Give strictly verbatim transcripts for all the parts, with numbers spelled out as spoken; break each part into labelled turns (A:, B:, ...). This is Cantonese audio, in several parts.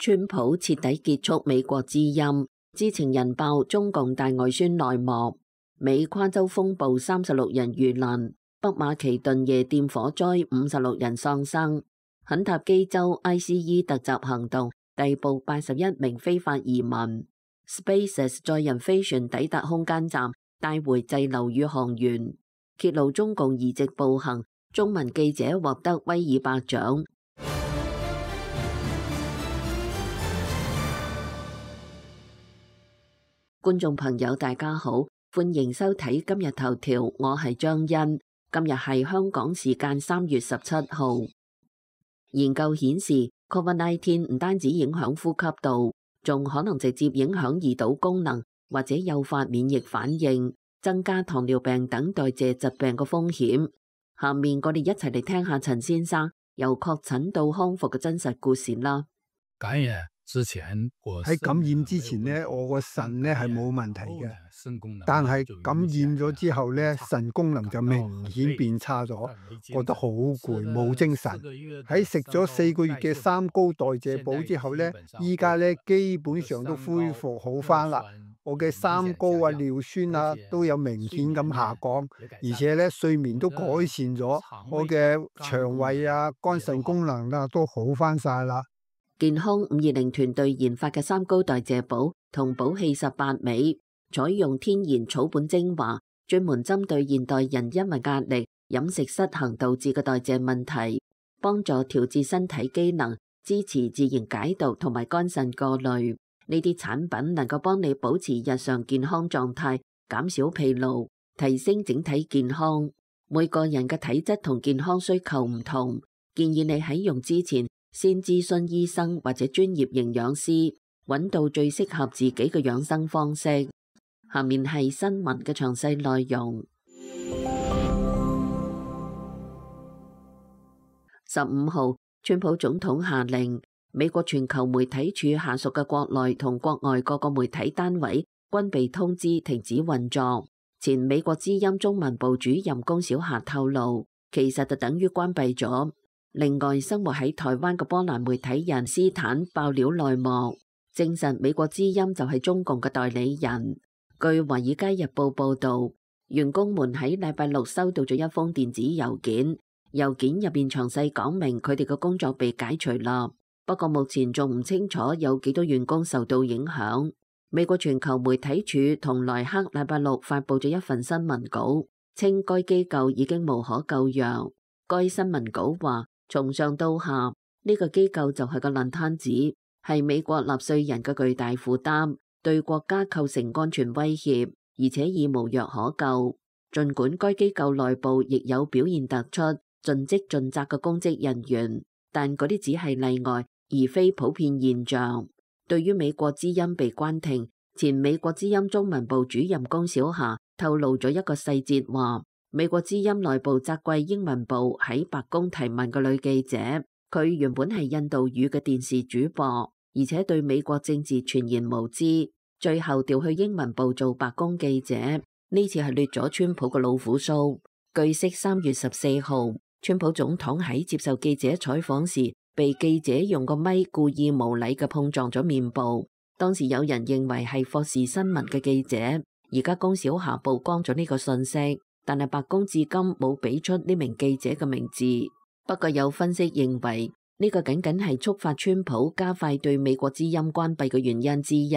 A: 川普徹底結束美國之音，知情人爆中共大外宣內幕。美跨州風暴三十六人遇難，北馬其頓夜店火災五十六人喪生。肯塔基州 I C E 突襲行動逮捕八十一名非法移民。SpaceX 載人飛船抵達空間站，帶回滯留宇航員。揭露中共移植暴行，中文記者獲得威爾伯獎。觀眾朋友大家好，歡迎收睇今日頭條，我係張欣。今日係香港時間三月十七號。研究顯示 ，Covid 十九 唔單止影響呼吸道，仲可能直接影響胰島功能，或者誘發免疫反應，增加糖尿病等代謝疾病嘅風險。下面我哋一齊嚟聽下陳先生由確診到康復嘅真實故事啦。
B: 感染之前，
C: 喺感染之前呢，我個腎呢係冇問題嘅，但係感染咗之後呢，腎功能就明顯變差咗，覺得好攰，冇精神。喺食咗四個月嘅三高代謝補之後呢，依家呢基本上都恢復好返啦。我嘅三高啊、尿酸啊都有明顯咁下降，而且呢睡眠都改善咗，我嘅腸胃啊、肝腎功能啊都好返晒啦。
A: 健康五二零團隊研發嘅三高代謝補同補氣十八味，採用天然草本精華，專門針對現代人因為壓力、飲食失衡導致嘅代謝問題，幫助調節身體機能，支持自然解毒同埋肝腎過濾。呢啲產品能夠幫你保持日常健康狀態，減少疲勞，提升整體健康。每個人嘅體質同健康需求唔同，建議你喺用之前先諮詢醫生或者專業營養師，揾到最適合自己嘅養生方式。下面係新聞嘅詳細內容。十五號，川普總統下令，美國全球媒體處下屬嘅國內同國外各個媒體單位均被通知停止運作。前美國之音中文部主任龔小霞透露，其實就等於關閉咗。另外，生活喺台灣嘅波蘭媒體人斯坦爆料內幕，證實美國之音就係中共嘅代理人。據《華爾街日報》報導，員工們喺禮拜六收到咗一封電子郵件，郵件入邊詳細講明佢哋嘅工作被解除啦。不過目前仲唔清楚有幾多員工受到影響。美國全球媒體處同萊克禮拜六發佈咗一份新聞稿，稱該機構已經無可救藥。該新聞稿話，從上到下，呢個機構就係個爛攤子，係美國納稅人嘅巨大負擔，對國家構成安全威脅，而且已無藥可救。儘管該機構內部亦有表現突出、盡職盡責嘅公職人員，但嗰啲只係例外，而非普遍現象。對於美國之音被關停，前美國之音中文部主任龔小霞透露咗一個細節，話美國之音內部責怪英文部喺白宮提問嘅女記者，佢原本係印度語嘅電視主播，而且對美國政治全然無知，最後調去英文部做白宮記者。呢次係掠咗川普嘅老虎鬚。據悉，三月十四號，川普總統喺接受記者採訪時，被記者用個咪故意無禮嘅碰撞咗面部。當時有人認為係霍士新聞嘅記者，而家龔小霞曝光咗呢個信息。但係白宮至今冇俾出呢名記者嘅名字。不過有分析認為，呢個僅僅係觸發川普加快對美國之音關閉嘅原因之一，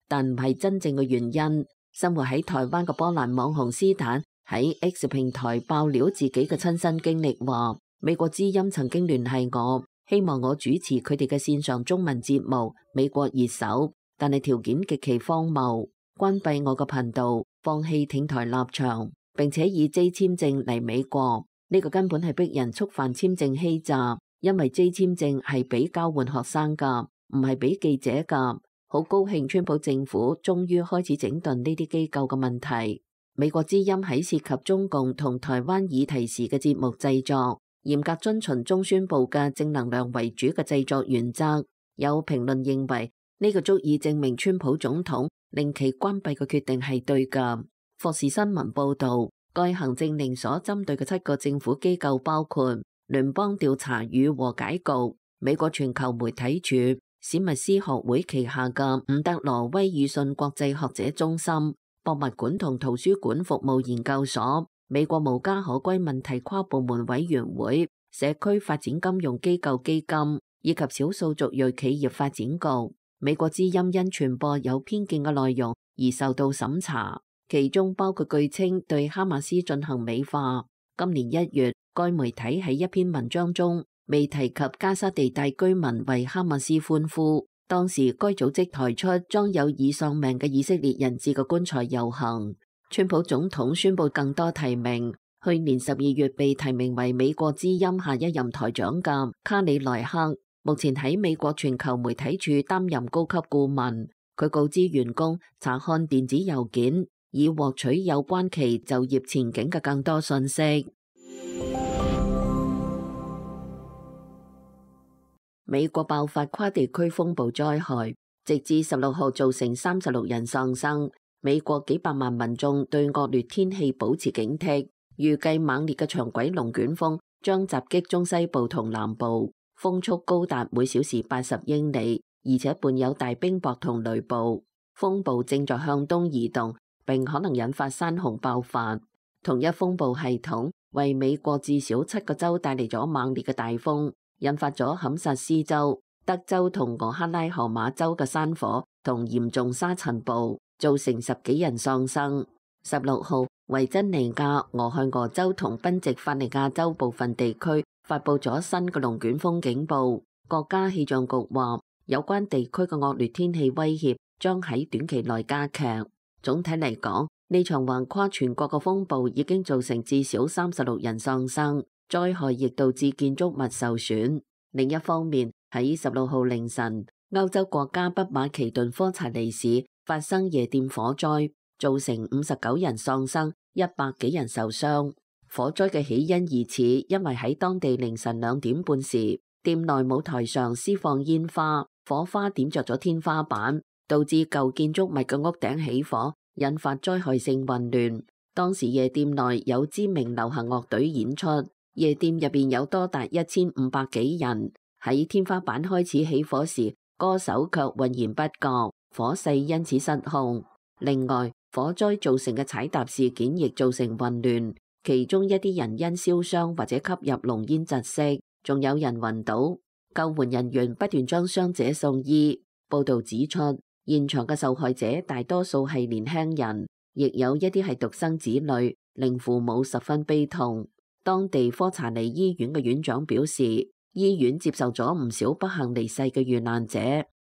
A: 但唔係真正嘅原因。生活喺台灣嘅波蘭網紅斯坦喺 X 平台爆料自己嘅親身經歷，話美國之音曾經聯繫我，希望我主持佢哋嘅線上中文節目《美國熱搜》，但係條件極其荒謬，關閉我個頻道，放棄挺台立場，並且以 J 簽證嚟美國。呢個根本係逼人觸犯簽證欺詐，因為 J 簽證係俾交換學生噶，唔係俾記者噶。好高興川普政府終於開始整頓呢啲機構嘅問題。美國之音喺涉及中共同台灣議題時嘅節目製作，嚴格遵循中宣部嘅正能量為主嘅製作原則。有評論認為呢個足以證明川普總統令其關閉嘅決定係對噶。霍士新聞報導，該行政令所針對嘅七個政府機構包括聯邦調查與和解局、美國全球媒體處、史密斯學會旗下嘅伍德羅威爾遜國際學者中心、博物館同圖書館服務研究所、美國無家可歸問題跨部門委員會、社區發展金融機構基金以及少數族裔企業發展局。美國之音因傳播有偏見嘅內容而受到審查，其中包括據稱對哈馬斯進行美化。今年一月，該媒體喺一篇文章中未提及加沙地帶居民為哈馬斯歡呼。當時該組織抬出裝有已喪命嘅以色列人質嘅棺材遊行。川普總統宣布更多提名，去年十二月被提名為美國之音下一任台長嘅卡里萊克，目前喺美國全球媒體處擔任高級顧問。佢告知員工查看電子郵件，以獲取有關其就業前景嘅更多信息。美國爆發跨地區風暴災害，直至十六號造成三十六人喪生。美國幾百萬民眾對惡劣天氣保持警惕，預計猛烈嘅長軌龍捲風將襲擊中西部同南部，風速高達每小時八十英里，而且伴有大冰雹同雷暴。風暴正在向東移動，並可能引發山洪爆發。同一風暴系統為美國至少七個州帶嚟咗猛烈嘅大風，引發咗堪薩斯州、德州同俄克拉荷馬州嘅山火同嚴重沙塵暴，造成十幾人喪生。十六號，維珍尼亞、俄亥俄州同賓夕法尼亞州部分地區發佈咗新嘅龍捲風警報。國家氣象局話，有關地區嘅惡劣天氣威脅將喺短期內加劇。總體嚟講，呢場橫跨全國嘅風暴已經造成至少三十六人喪生，災害亦導致建築物受損。另一方面，喺十六號凌晨，歐洲國家北馬其頓科查尼市發生夜店火災，造成五十九人喪生，一百幾人受傷。火災嘅起因疑似因為喺當地凌晨兩點半時，店內舞台上施放煙花，火花點着咗天花板，導致舊建築物嘅屋頂起火，引發災害性混亂。當時夜店內有知名流行樂隊演出，夜店入邊有多達一千五百幾人。喺天花板開始起火時，歌手卻渾然不覺，火勢因此失控。另外，火災造成嘅踩踏事件亦造成混亂，其中一啲人因燒傷或者吸入濃煙窒息，仲有人暈倒。救援人員不斷將傷者送醫。報道指出，現場嘅受害者大多數係年輕人，亦有一啲係獨生子女，令父母十分悲痛。當地科查尼醫院嘅院長表示，醫院接受咗唔少不幸離世嘅遇難者，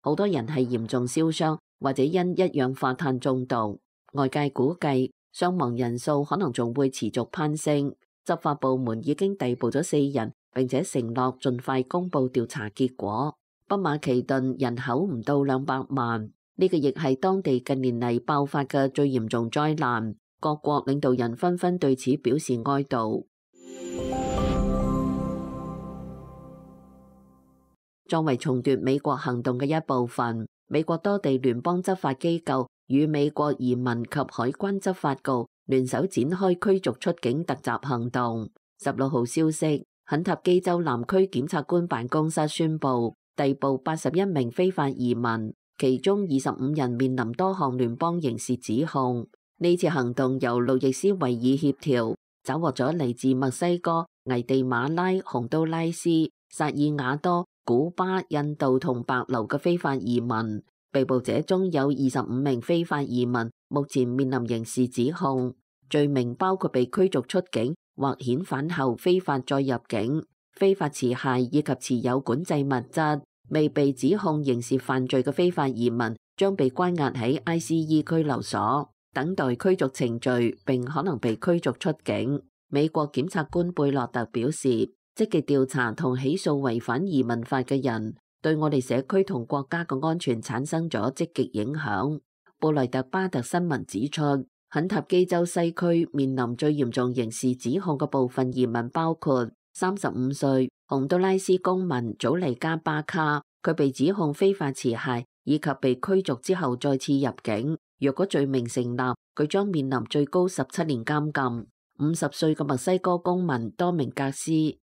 A: 好多人係嚴重燒傷或者因一氧化碳中毒。外界估計傷亡人數可能仲會持續攀升。執法部門已經逮捕咗四人，並且承諾盡快公布調查結果。北馬其頓人口唔到兩百萬，呢個亦係當地近年嚟爆發嘅最嚴重災難。各國領導人紛紛對此表示哀悼。作為重奪美國行動嘅一部分，美國多地聯邦執法機構與美國移民及海關執法局聯手展開驅逐出境突襲行動。十六號消息，肯塔基州南區檢察官辦公室宣布逮捕八十一名非法移民，其中二十五人面臨多項聯邦刑事指控。呢次行動由路易斯維爾協調，抓獲咗嚟自墨西哥、危地馬拉、洪都拉斯、薩爾瓦多、古巴、印度同白流嘅非法移民。被捕者中有二十五名非法移民，目前面臨刑事指控，罪名包括被驅逐出境或遣返後非法再入境、非法持械以及持有管制物質。未被指控刑事犯罪嘅非法移民將被關押喺 I C E 拘留所，等待驅逐程序，並可能被驅逐出境。美國檢察官貝洛特表示，積極調查同起訴違反移民法嘅人，對我哋社區同國家嘅安全產生咗積極影響。布萊特巴特新聞指出，肯塔基州西區面臨最嚴重刑事指控嘅部分移民包括三十五歲洪都拉斯公民祖尼加巴卡，佢被指控非法持械以及被驅逐之後再次入境。若果罪名成立，佢將面臨最高十七年監禁。五十歲嘅墨西哥公民多明格斯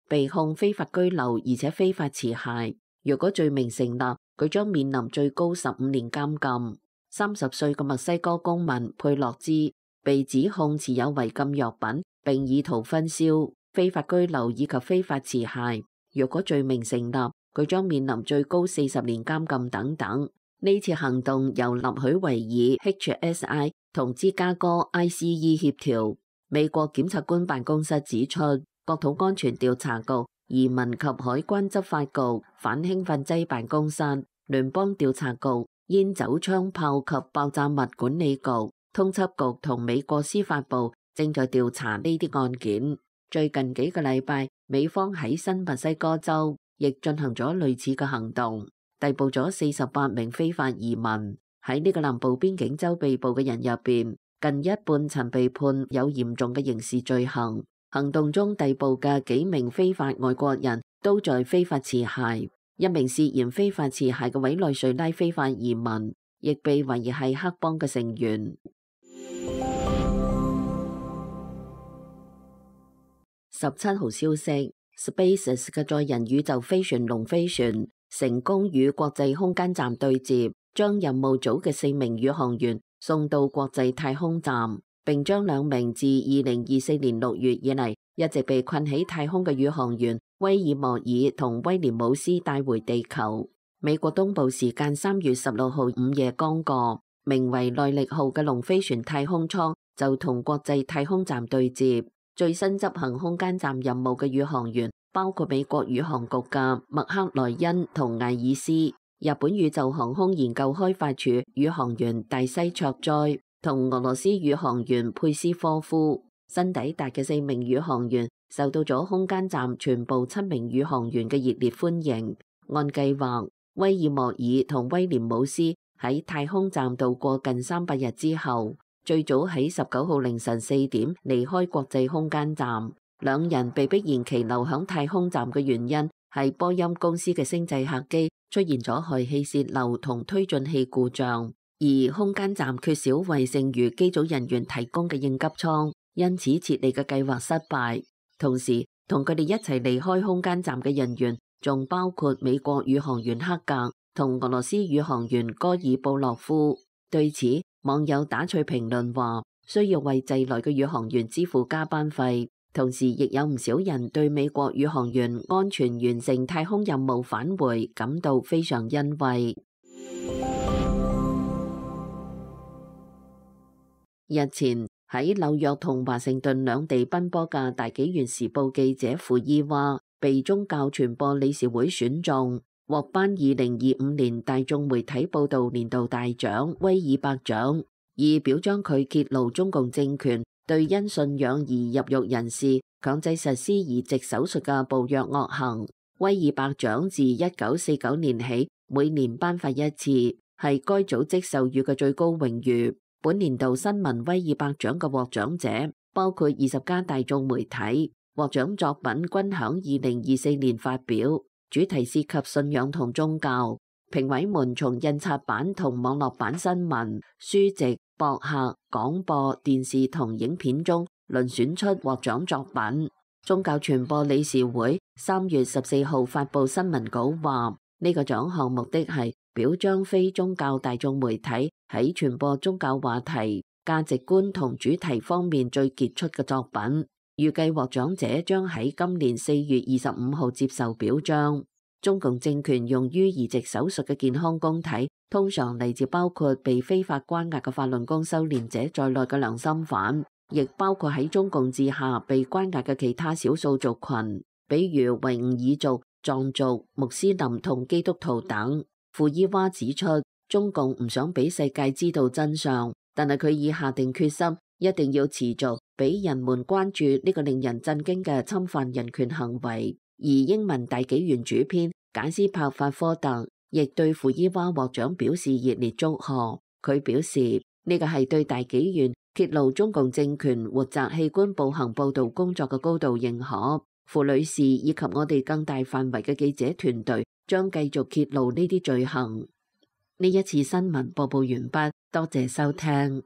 A: 被控非法居留而且非法持械。若果罪名成立，佢將面臨最高十五年監禁。三十歲嘅墨西哥公民佩洛茲被指控持有違禁藥品，並意圖分銷、非法居留以及非法持械。若果罪名成立，佢將面臨最高四十年監禁等等。呢次行動由納許維爾 H S I 同芝加哥 I C E 協調。美國檢察官辦公室指出，國土安全調查局、移民及海關執法局、反興奮劑辦公室、聯邦調查局、煙酒槍炮及爆炸物管理局、通緝局同美國司法部正在調查呢啲案件。最近幾個禮拜，美方喺新墨西哥州亦進行咗類似嘅行動，逮捕咗四十八名非法移民。喺呢個南部邊境州被捕嘅人入邊，近一半曾被判有嚴重嘅刑事罪行。行動中逮捕嘅幾名非法外國人都在非法持械，一名涉嫌非法持械嘅委內瑞拉非法移民亦被懷疑係黑幫嘅成員。十七號消息 ，SpaceX 嘅載人宇宙飛船龍飛船成功與國際空間站對接，將任務組嘅四名宇航員送到國際太空站，並將兩名自二零二四年六月以嚟一直被困喺太空嘅宇航員威爾莫爾同威廉姆斯帶回地球。美國東部時間三月十六號午夜剛過，名為耐力號嘅龍飛船太空艙就同國際太空站對接。最新執行空間站任務嘅宇航員包括美國宇航局嘅麥克萊恩同艾爾斯，日本宇宙航空研究開發處宇航員大西卓哉同俄羅斯宇航員佩斯科夫。新抵達嘅四名宇航員受到咗空間站全部七名宇航員嘅熱烈歡迎。按計劃，威爾莫爾同威廉姆斯喺太空站度過近三百日之後，最早喺十九號凌晨四點離開國際空間站。兩人被迫延期留響太空站嘅原因係波音公司嘅星際客機出現咗氦氣泄漏同推進器故障，而空間站缺少為剩餘機組人員提供嘅應急艙，因此撤離嘅計劃失敗。同時，同佢哋一齊離開空間站嘅人員仲包括美國宇航員克格同俄羅斯宇航員戈爾布洛夫。對此，網友打趣評論話，需要為滯來嘅宇航員支付加班費，同時亦有唔少人對美國宇航員安全完成太空任務返回感到非常欣慰。日前喺紐約同華盛頓兩地奔波嘅大紀元時報記者庫伊娃被宗教傳播理事會選中，獲頒二零二五年大眾媒體報道年度大獎威爾伯獎，以表彰佢揭露中共政權對因信仰而入獄人士強制實施移植手術嘅暴虐惡行。威爾伯獎自一九四九年起每年頒發一次，係該組織授予嘅最高榮譽。本年度新聞威爾伯獎嘅獲獎者包括二十家大眾媒體，獲獎作品均響二零二四年發表，主題涉及信仰同宗教。評委們從印刷版同網絡版新聞、書籍、博客、廣播、電視同影片中輪選出獲獎作品。宗教傳播理事會三月十四號發布新聞稿話，呢個獎項目的係表彰非宗教大眾媒體喺傳播宗教話題、價值觀同主題方面最傑出嘅作品。預計獲獎者將喺今年四月二十五號接受表彰。中共政權用於移植手術嘅健康供體，通常嚟自包括被非法關押嘅法輪功修煉者在內嘅良心犯，亦包括喺中共治下被關押嘅其他少數族群，比如維吾爾族、藏族、穆斯林同基督徒等。庫伊娃指出，中共唔想俾世界知道真相，但係佢已下定決心，一定要持續俾人們關注呢個令人震驚嘅侵犯人權行為。而英文大紀元主編簡斯柏法科特亦對庫伊娃獲獎表示熱烈祝賀。佢表示呢個係對大紀元揭露中共政權活摘器官步行報道工作嘅高度認可。庫女士以及我哋更大範圍嘅記者團隊將繼續揭露呢啲罪行。呢一次新聞播報完畢，多謝收聽。